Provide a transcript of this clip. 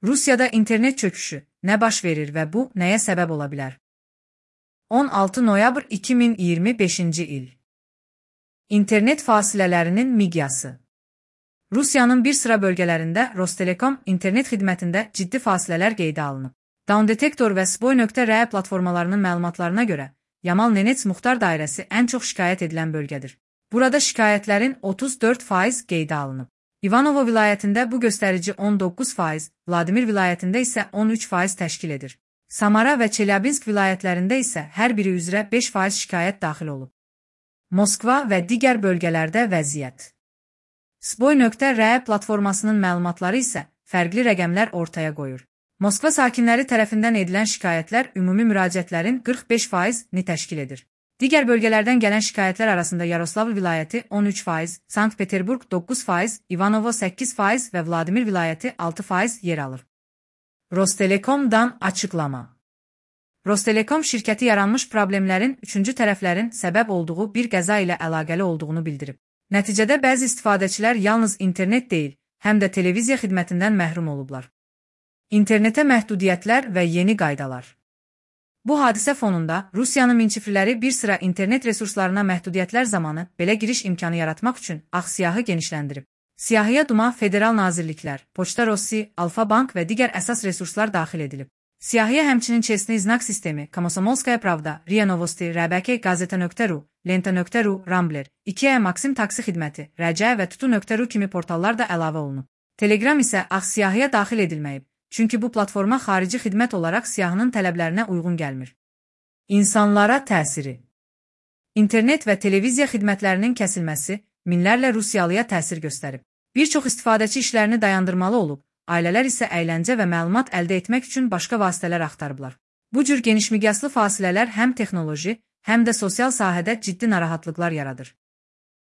Rusiyada internet çöküşü nə baş verir və bu nəyə səbəb ola bilər? 16 noyabr 2025-ci il. İnternet fasilələrinin miqyası. Rusiyanın bir sıra bölgələrində Rostelekom internet xidmətində ciddi fasilələr qeydə alınıb. Downdetektor və Svoy.ru platformalarının məlumatlarına görə, Yamal Nenets Muxtar dairəsi ən çox şikayət edilən bölgədir. Burada şikayətlərin 34% qeydə alınıb. İvanovo vilayətində bu göstərici 19%, Vladimir vilayətində isə 13% təşkil edir. Samara və Çelyabinsk vilayətlərində isə hər biri üzrə 5% şikayət daxil olub. Moskva və digər bölgələrdə vəziyyət. Svoy.ru platformasının məlumatları isə fərqli rəqəmlər ortaya qoyur. Moskva sakinləri tərəfindən edilən şikayətlər ümumi müraciətlərin 45%-ni təşkil edir. Digər bölgələrdən gələn şikayətlər arasında Yaroslavl vilayəti 13%, Sankt-Peterburg 9%, İvanovo 8% və Vladimir vilayəti 6% yer alır. Rostelekomdan açıqlama. Rostelekom şirkəti yaranmış problemlərin üçüncü tərəflərin səbəb olduğu bir qəza ilə əlaqəli olduğunu bildirib. Nəticədə bəzi istifadəçilər yalnız internet deyil, həm də televiziya xidmətindən məhrum olublar. İnternetə məhdudiyyətlər və yeni qaydalar. Bu hadisə fonunda Rusiyanın minçifliləri bir sıra internet resurslarına məhdudiyyətlər zamanı belə giriş imkanı yaratmaq üçün ağ siyahı genişləndirib. Siyahıya Duma, federal nazirliklər, Poçta Rossi, Alfa Bank və digər əsas resurslar daxil edilib. Siyahıya həmçinin Çesni Znak sistemi, Komsomolskaya Pravda, RIA Novosti, RBK Gazeta.ru, Lenta.ru, Rambler, IKEA Maxim taksi xidməti, Rəcə və Tutu.ru kimi portallar da əlavə olunub. Telegram isə ağ siyahıya daxil edilməyib. Çünki bu platforma xarici xidmət olaraq siyahının tələblərinə uyğun gəlmir. İnsanlara təsiri. İnternet və televiziya xidmətlərinin kəsilməsi minlərlə Rusiyalıya təsir göstərib. Bir çox istifadəçi işlərini dayandırmalı olub, ailələr isə əyləncə və məlumat əldə etmək üçün başqa vasitələr axtarıblar. Bu cür genişmiqyaslı fasilələr həm texnoloji, həm də sosial sahədə ciddi narahatlıqlar yaradır.